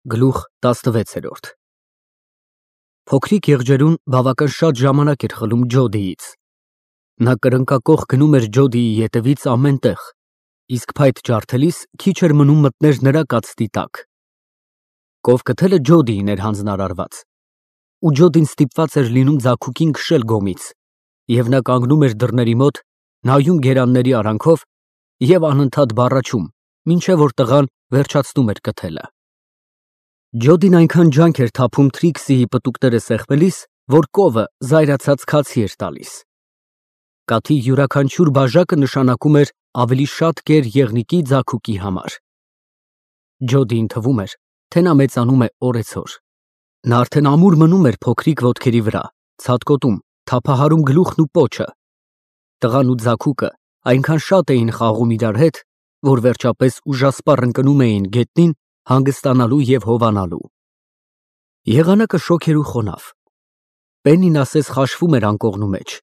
Գլուխ 16 Փոքրիկ եղջերուն բավական շատ ժամանակ էր խլում Ջոդիից։ Նա կրնկակոխ գնում էր Ջոդիի ետևից ամեն տեղ, իսկ փայտ ջարդելիս քիչ էր մնում մտներ նրա կացտի տակ։ Կովկթելը Ջոդիին էր հանձնարարված, ու Ջոդին ստիպված էր լինում ձագուկին քշել գոմից, և նա կանգնում էր դռների մոտ, նայում գերանների արանքով և անընդհատ բառաչում, մինչև որ տղան վերջացնում էր կթելը։ Ջոդին այնքան ջանք էր թափում Թրիքսիի պտուկները սեղմելիս, որ կովը զայրացած քացի էր տալիս։ Կաթի յուրաքանչյուր բաժակը նշանակում էր ավելի շատ կեր եղնիկի ձագուկի համար։ Ջոդիին թվում էր, թե նա մեծանում է օրեցօր։ Նա արդեն ամուր մնում էր փոքրիկ ոտքերի վրա, ցատկոտում, թափահարում գլուխն ու պոչը։ Տղան ու ձագուկը այնքան շատ էին խաղում իրար հետ, որ վերջապես ուժասպառ ընկնում էին գետնին հանգստանալու և հովանալու։ Եղանակը շոգ էր ու խոնավ։ Պեննին ասես խաշվում էր անկողնու մեջ։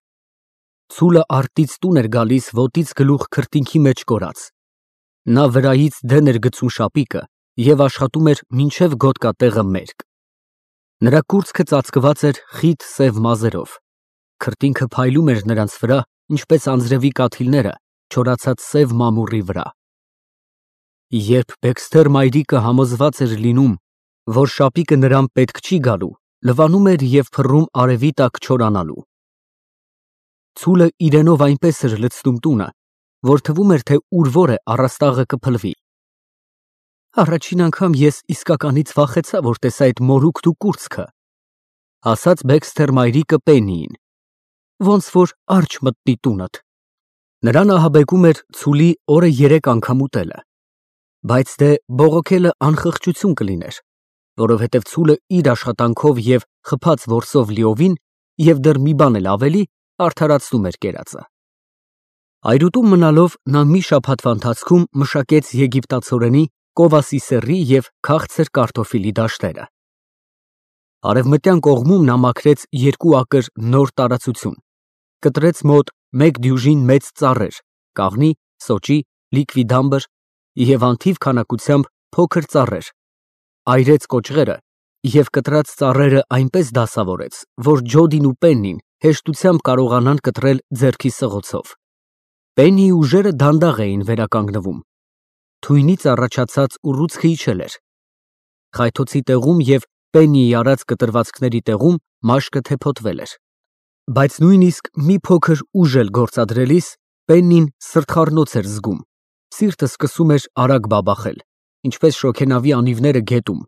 Ցուլը արտից տուն էր գալիս ոտից գլուխ քրտինքի մեջ կորած։ Նա վրայից դեն էր գցում շապիկը և աշխատում էր մինչև գոտկատեղը մերկ։ Նրա կուրծքը ծածկված էր խիտ սև մազերով։ Քրտինքը փայլում էր նրանց վրա, ինչպես անձրևի կաթիլները չորացած սև մամուռի վրա։ Երբ Բեքսթեր մայրիկը համոզված էր լինում, որ շապիկը նրան պետք չի գալու, լվանում էր և փռում արևի տակ չորանալու։ Ցուլը իրենով այնպես էր լցնում տունը, որ թվում էր, թե ուր որ է առաստաղը կփլվի։ Առաջին անգամ ես իսկականից վախեցա, որ տեսա այդ մորուքն ու կուրծքը, ասաց Բեքսթեր մայրիկը Պեննիին, ոնց որ արջ մտնի տունդ։ Նրան ահաբեկում էր ցուլի օրը 3 անգամ ուտելը, բայց դե բողոքելը անխղճություն կլիներ, որովհետև ցուլը իր աշխատանքով և խփած որսով լիովին և դեռ մի բան էլ ավելի արդարացնում էր կերածը։ Այրուտում մնալով նա մի շաբաթվա ընթացքում մշակեց եգիպտացորենի, կովասի սեռի և քաղցր կարտոֆիլի դաշտերը։ Արևմտյան կողմում նա մաքրեց 2 ակր նոր տարածություն, կտրեց մոտ 1 դյուժին մեծ ծառեր, կաղնի, սոճի, լիկվիդամբր և անթիվ քանակությամբ փոքր ծառեր, այրեց կոճղերը և կտրած ծառերը այնպես դասավորեց, որ Ջոդին ու Պեննին հեշտությամբ կարողանան կտրել ձեռքի սղոցով։ Պեննիի ուժերը դանդաղ էին վերականգնվում։ Թույնից առաջացած ուռուցքը իջել էր։ Խայթոցի տեղում և Պեննիի արած կտրվածքների տեղում մաշկը թեփոտվել էր։ Բայց նույնիսկ մի փոքր ուժ էլ գործադրելիս Պեննին սրտխառնոց էր զգում, սիրտը սկսում էր արագ բաբախել, ինչպես շոգենավի անիվները գետում։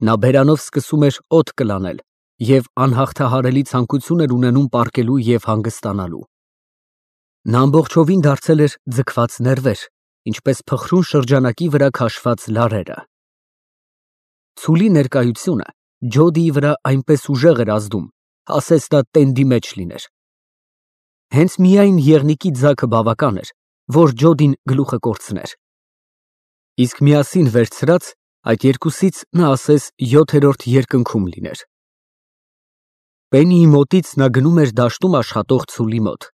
Նա բերանով սկսում էր օդ կլանել և անհաղթահարելի ցանկություն էր ունենում պառկելու և հանգստանալու։ Նա ամբողջովին դարձել էր ձգված ներվեր, ինչպես փխրուն շրջանակի վրա քաշված լարերը։ Ցուլի ներկայությունը Ջոդիի վրա այնպես ուժեղ էր ազդում, ասես նա տենդի մեջ լիներ։ Հենց միայն եղնիկի ձագը բավական էր, որ Ջոդին գլուխը կորցներ։ Իսկ միասին վերցրած, այդ երկուսից նա ասես 7-րդ երկնքում լիներ։ Պեննիի մոտից նա գնում էր դաշտում աշխատող ցուլի մոտ,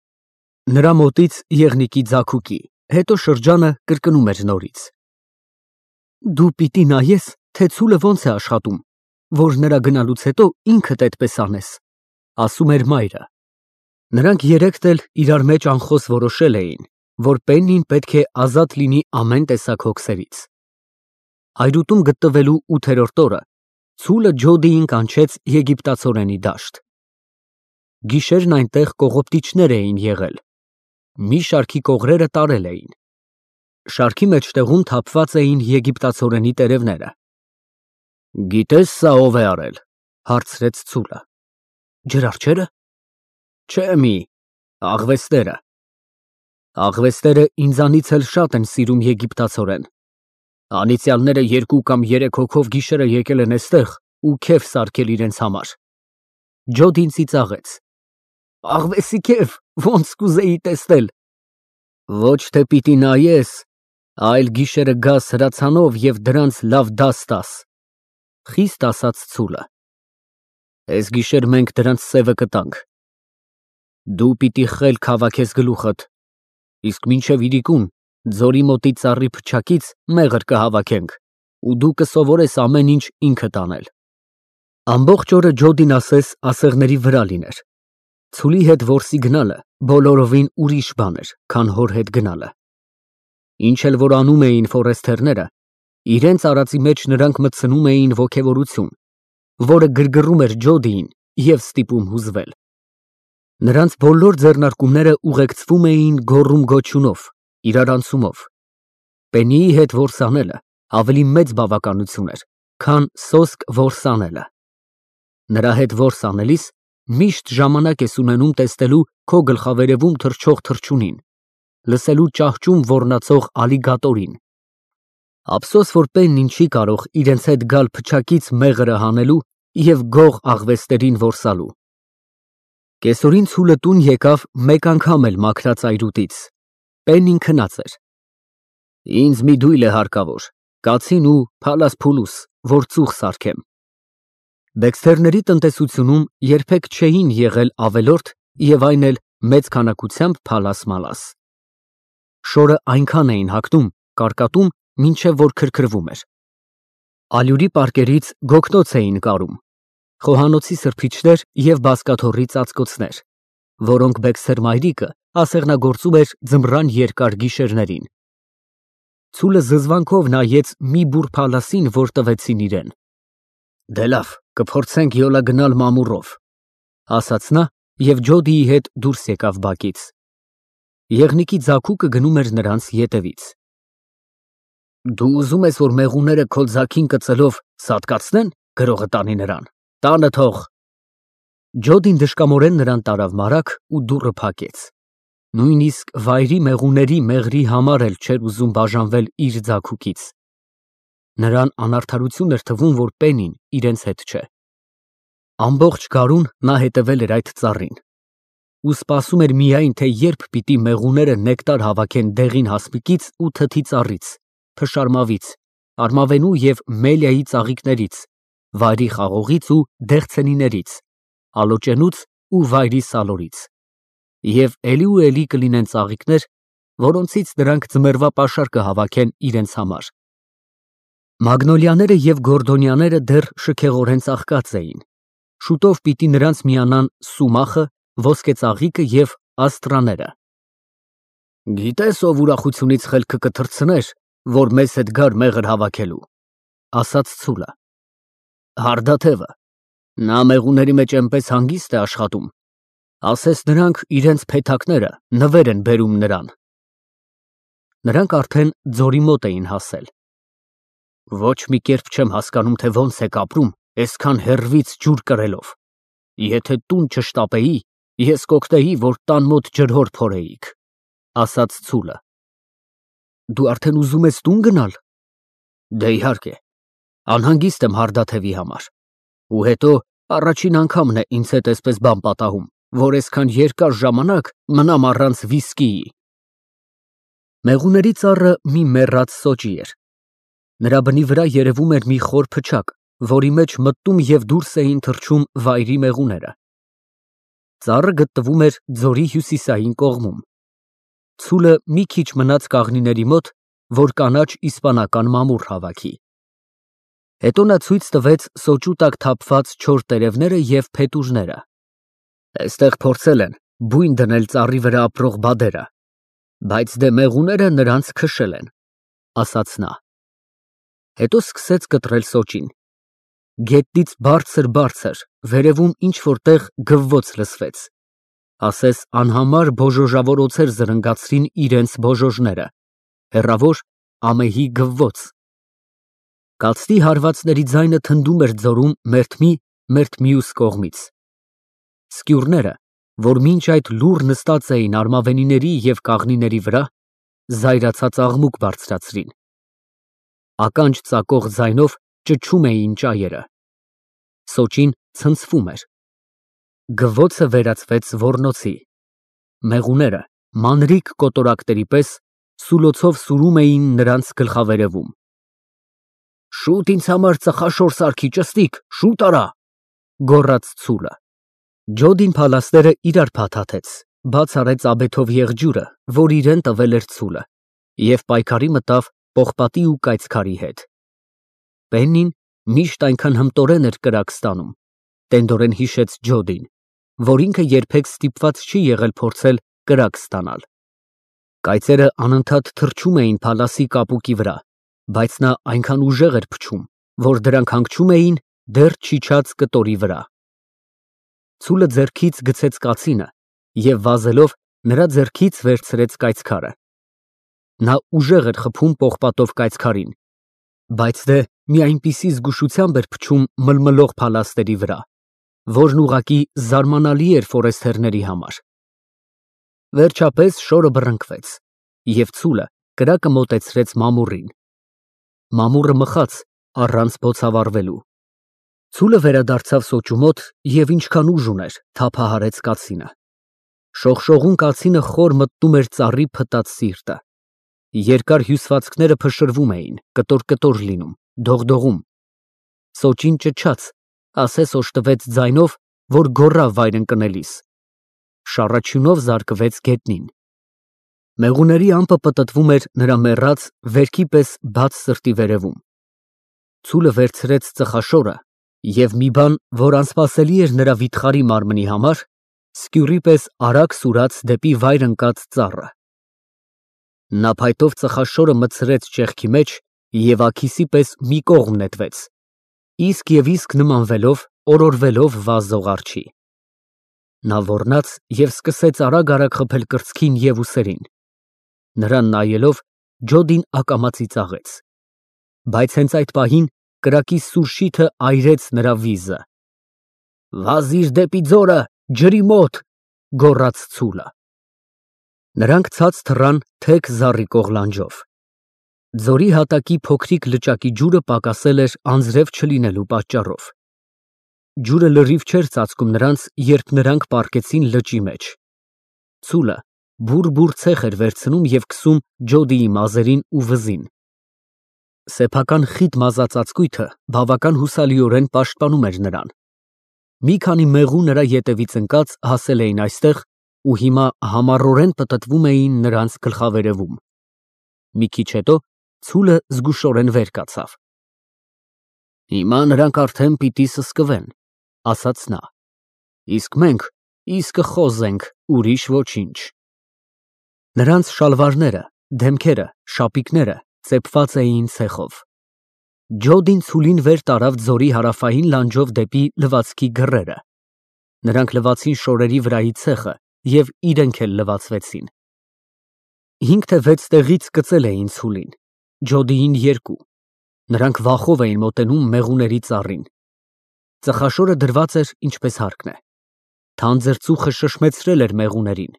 նրա մոտից եղնիկի ձագուկի, հետո շրջանը կրկնում էր նորից։ Դու պիտի նայես, թե ցուլը ոնց է աշխատում, որ նրա գնալուց հետո ինքդ այդպես անես, ասում էր մայրը։ Նրանք երեքն էլ իրար մեջ անխոս որոշել էին, որ Պեննին պետք է ազատ լինի ամեն տեսակ հոգսերից։ Այրուտում գտնվելու 8-րդ օրը ցուլը Ջոդիին կանչեց եգիպտացորենի դաշտ։ Գիշերն այնտեղ կողոպտիչներ էին եղել։ Մի շարքի կողրերը տարել էին։ Շարքի մեջտեղում թափված էին եգիպտացորենի տերևները։ Գիտես սա ով է արել, հարցրեց ցուլը։ Ջրարջե՞րը։ Չէ մի, աղվեսները։ Աղվեսները ինձանից էլ շատ են սիրում եգիպտացորեն։ Անիծյալները 2 կամ 3 հոգով գիշերը եկել են էստեղ ու քեֆ սարքել իրենց համար։ Ջոդին ծիծաղեց։ Աղվեսի քեֆ, ոնց կուզեի տեսնել։ Ոչ թե պիտի նայես, այլ գիշերը գաս հրացանով և դրանց լավ դաս տաս, խիստ ասաց ցուլը։ Էս գիշեր մենք դրանց սևը կտանք։ Դու պիտի խելք հավաքես գլուխդ, իսկ մինչև իրիկուն ձորի մոտի ծառի փչակից մեղր կհավաքենք, ու դու կսովորես ամեն ինչ ինքդ անել։ Ամբողջ օրը Ջոդին ասես ասեղների վրա լիներ։ Ցուլի հետ որսի գնալը բոլորովին ուրիշ բան էր, քան հոր հետ գնալը։ Ինչ էլ որ անում էին ֆորեսթերները, իրենց արածի մեջ նրանք մտցնում էին ոգևորություն, որը գրգռում էր Ջոդիին և ստիպում հուզվել։ Նրանց բոլոր ձեռնարկումները ուղեկցվում էին գոռում-գոչյունով, իրարանցումով։ Պենիի հետ որս անելը ավելի մեծ բավականություն էր, քան սոսկ որս անելը։ Նրա հետ որս անելիս միշտ ժամանակ ես ունենում տեսնելու քո գլխավերևում թռչող թռչունին, լսելու ճահճում ոռնացող ալիգատորին։ Ափսոս, որ Պեննին չի կարող իրենց հետ գալ փչակից մեղրը հանելու և գող աղվեսներին որսալու։ Կեսօրին ցուլը տուն եկավ մեկ անգամ էլ մաքրած այրուտից։ Պեննին քնած էր։ Ինձ մի դույլ է հարկավոր, կացին ու փալաս փուլուս, որ ծուխ սարքեմ։ Բեքսթերների տնտեսությունում երբեք չէին եղել ավելորդ և այն էլ մեծ քանակությամբ փալաս-մալաս։ Շորը այնքան էին հագնում, կարկատում, մինչև որ քրքրվում էր։ Ալյուրի պարկերից գոգնոց էին կարում, խոհանոցի սրբիչներ և բազկաթոռի ծածկոցներ, որոնք Բեքսթեր մայրիկը ասեղնագործում էր ձմռան երկար գիշերներին։ Ցուլը զզվանքով նայեց մի բուռ փալասին, որ տվեցին իրեն։ Դե լավ, կփորձենք յոլա գնալ մամուռով, ասաց նա և Ջոդիի հետ դուրս եկավ բակից։ Եղնիկի ձագուկը գնում էր նրանց ետևից։ Դու ուզում ես, որ մեղուները քո ձագին կծելով սատկացնեն, գրողը տանի նրան, տանը թող։ Ջոդին դժկամորեն նրան տարավ մարаг ու դուռը փակեց։ Նույնիսկ վայրի մեղուների մեղրի համար էլ չէր ուզում բաժանվել իր ձագուկից։ Նրան անարդարություն էր թվում, որ Պենին իրենց հետ չէ։ Ամբողջ գարուն նա հետևել էր այդ ծառին ու սպասում էր միայն, թե երբ պիտի մեղուները նեկտար հավաքեն դեղին հասմիկից ու թթի ծառից, փշարմավից, արմավենու և մելիայի ծաղիկներից, վայրի խաղողից ու դեղցենիներից, ալոճենուց ու վայրի սալորից, և էլի կլինեն ծաղիկներ, որոնցից նրանք ձմեռվա պաշար կհավաքեն իրենց համար։ Մագնոլիաները և գորդոնիաները դեռ շքեղորեն ծաղկած էին, շուտով պիտի նրանց միանան սումախը, ոսկեծաղիկը և աստրաները։ Գիտես, ով ուրախությունից խելքը կթռցներ, որ մեզ հետ գար մեղր հավաքելու, ասաց ցուլը։ Հարդաթևը, նա մեղուների մեջ այնպես հանգիստ է աշխատում, ասես նրանք իրենց փեթակները նվեր են բերում նրան։ Նրանք արդեն ձորի մոտ էին հասել։ Ոչ մի կերպ չեմ հասկանում, թե ոնց եք ապրում այսքան հեռվից ջուր կրելով։ Եթե տուն չշտապեի, ես կօգնեի, որ տան մոտ ջրհոր փորեիք, ասաց ցուլը։ Դու արդեն ուզում ես տուն գնալ։ Դե իհարկե, անհանգիստ եմ հարդաթևի համար։ Ու հետո առաջին անգամն է ինձ հետ այսպես բան պատահում, որ այսքան երկար ժամանակ մնամ առանց վիսկիի։ Մեղուների ծառը մի մեռած սոճի էր։ Նրա բնի վրա երևում էր մի խոր փչակ, որի մեջ մտնում և դուրս էին թռչում վայրի մեղուները։ Ծառը գտնվում էր ձորի հյուսիսային կողմում։ Ցուլը մի քիչ մնաց կաղնիների մոտ, որ կանաչ իսպանական մամուռ հավաքի։ Հետո նա ցույց տվեց սոճու տակ թափված չոր տերևները և փետուրները։ Այստեղ փորձել են բույն դնել ծառի վրա ապրող բադերը, բայց դե մեղուները նրանց քշել են, ասաց նա։ Հետո սկսեց կտրել սոճին։ Գետնից բարձր, վերևում ինչ-որ տեղ գվվոց լսվեց, ասես անհամար բոժոժավոր օձեր զրնգացրին իրենց բոժոժները, հեռավոր ամեհի գվվոց։ Կացնի հարվածների ձայնը թնդում էր ձորում մերթ մի, մերթ մյուս կողմից։ Սկյուրները, որ մինչ այդ լուռ նստած էին արմավենիների և կաղնիների վրա, զայրացած աղմուկ բարձրացրին։ Ականջ ծակող ձայնով ճչում էին ճայերը։ Սոճին ցնցվում էր։ Գվվոցը վերածվեց ոռնոցի։ Մեղուները մանրիկ կոտորակների պես սուլոցով սուրում էին նրանց գլխավերևում։ Շուտ ինձ համար ծխաշոր սարքի, ճստիկ, շուտ արա, գոռաց ցուլը։ Ջոդին փալասները իրար փաթաթեց, բաց արեց աբեթով եղջյուրը, որ իրեն տվել էր ցուլը, և պայքարի մտավ պողպատի ու կայծքարի հետ։ Պեննին միշտ այնքան հմտորեն էր կրակ ստանում, տենդորեն հիշեց Ջոդին, որ ինքը երբեք ստիպված չի եղել փորձել կրակ ստանալ։ Կայծերը անընդհատ թռչում էին փալասի կապուկի վրա, բայց նա այնքան ուժեղ էր փչում, որ դրանք հանգչում էին դեռ չիջած կտորի վրա։ Ցուլը ձեռքից գցեց կացինը և վազելով նրա ձեռքից վերցրեց կայծքարը։ Նա ուժեղ էր խփում պողպատով կայծքարին, բայց դե մի այնպիսի զգուշությամբ էր փչում մլմլող փալասների վրա, որն ուղղակի զարմանալի էր ֆորեստերների համար։ Վերջապես շորը բռնկվեց, և ցուլը կրակը մոտեցրեց մամուռին։ Մամուռը մխաց առանց բոցավառվելու։ Ցուլը վերադարձավ սոճու մոտ և ինչքան ուժ ուներ, թափահարեց կացինը։ Շողշողուն կացինը խոր մտնում էր ծառի փտած սիրտը։ Երկար հյուսվածքները փշրվում էին, կտոր լինում, դողդողում։ Սոճին ճչաց, ասես օժտվեց ձայնով, որ գոռավ վայր ընկնելիս։ Շառաչյունով զարկվեց գետնին։ Մեղուների ամպը պտտվում էր նրա մեռած, վերքի պես բաց սրտի վերևում։ Ցուլը վերցրեց ծխաշորը և մի բան, որ անսպասելի էր նրա վիթխարի մարմնի համար, սկյուռի պես արագ սուրաց դեպի վայր ընկած ծառը։ Նա փայտով ծխաշորը մտցրեց ճեղքի մեջ և աքիսի պես մի կողմ նետվեց, իսկ նմանվելով, օրորվելով վազող արջի։ Նա ոռնաց և սկսեց արագ խփել կրծքին և ուսերին։ Նրան նայելով, Ջոդին ակամա ծիծաղեց, բայց հենց այդ պահին կրակի սուր շիթը այրեց նրա վիզը։ «Վազիր դեպի ձորը, ջրի մոտ», գոռաց ցուլը։ Նրանք ցած թռան թեք զառիվող լանջով։ Ձորի հատակի փոքրիկ լճակի ջուրը պակասել էր անձրև չլինելու պատճառով։ Ջուրը լրիվ չէր ծածկում նրանց, երբ նրանք պառկեցին լճի մեջ։ Ցուլը բուռ ցեխ էր վերցնում և քսում Ջոդիի մազերին ու վզին։ Սեփական խիտ մազածածկույթը բավական հուսալիորեն պաշտպանում էր նրան։ Մի քանի մեղու նրա ետևից ընկած հասել էին այստեղ ու հիմա համառորեն պտտվում էին նրանց գլխավերևում։ Մի քիչ հետո ցուլը զգուշորեն վեր կացավ։ «Հիմա նրանք արդեն պիտի սսկվեն», ասաց նա, «իսկ մենք կխոզենք, ուրիշ ոչինչ»։ Նրանց շալվարները, դեմքերը, շապիկները ծեփված էին ցեխով։ Ջոդին ցուլին վեր տարավ ձորի հարավային լանջով դեպի լվացքի գռերը։ Նրանք լվացին շորերի վրայի ցեխը և իրենք էլ լվացվեցին։ 5 թե 6 տեղից կծել էին ցուլին, Ջոդիին 2։ Նրանք վախով էին մոտենում մեղուների ծառին։ Ծխաշորը դրված էր ինչպես հարկն է։ Թանձր ծուխը շշմեցրել էր մեղուներին։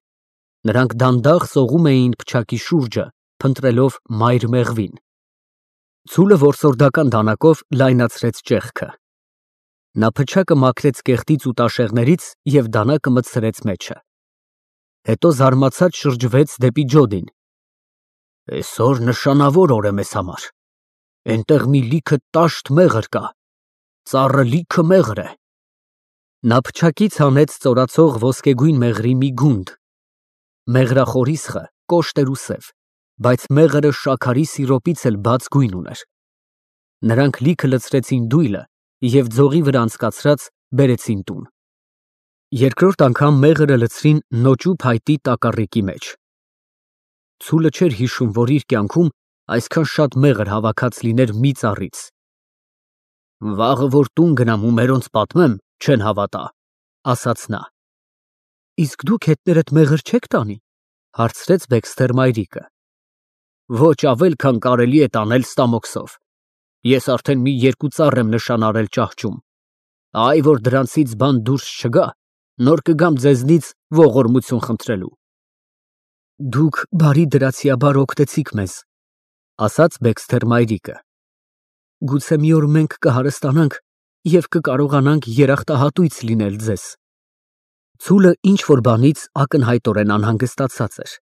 Նրանք դանդաղ սողում էին փչակի շուրջը, փնտրելով մայր մեղվին։ Ցուլը որսորդական դանակով լայնացրեց ճեղքը։ Նա փչակը մաքրեց կեղտից ու տաշեղներից և դանակը մտցրեց մեջը։ Հետո զարմացած շրջվեց դեպի Ջոդին։ «Այսօր նշանավոր օր է մեզ համար։ Էնտեղ մի լիքը տաշտ մեղր կա, ծառը լիքը մեղր է»։ Նա փչակից հանեց ծորացող ոսկեգույն մեղրի մի գունդ։ Մեղրախորիսխը կոշտ էր ու սև, բայց մեղրը շաքարի սիրոպից էլ բաց գույն ուներ։ Նրանք լիքը լցրեցին դույլը և ձողի վրա անցկացրած բերեցին տուն։ Երկրորդ անգամ մեղրը լցրին նոճու փայտի տակառիկի մեջ։ Ցուլը չէր հիշում, որ իր կյանքում այսքան շատ մեղր հավաքած լիներ մի ծառից։ «Վաղը որ տուն գնամ ու մերոնց պատմեմ, չեն հավատա», ասաց նա։ «Իսկ դուք հետներդ մեղր չեք տանի», հարցրեց Բեքսթեր մայրիկը։ «Ոչ ավել, քան կարելի է տանել ստամոքսով։ Ես արդեն մի 2 ծառ եմ նշանարել ճահճում։ Այ որ դրանցից բան դուրս չգա, նոր կգամ ձեզնից ողորմություն խնդրելու»։ «Դուք բարի դրացիաբար օգնեցիք մեզ», ասաց Բեքսթեր մայրիկը։ «Գուցե մի օր մենք կհարստանանք և կկարողանանք երախտահատույց լինել ձեզ»։ Ցուլը ինչ֊որ բանից ակնհայտորեն անհանգստացած էր։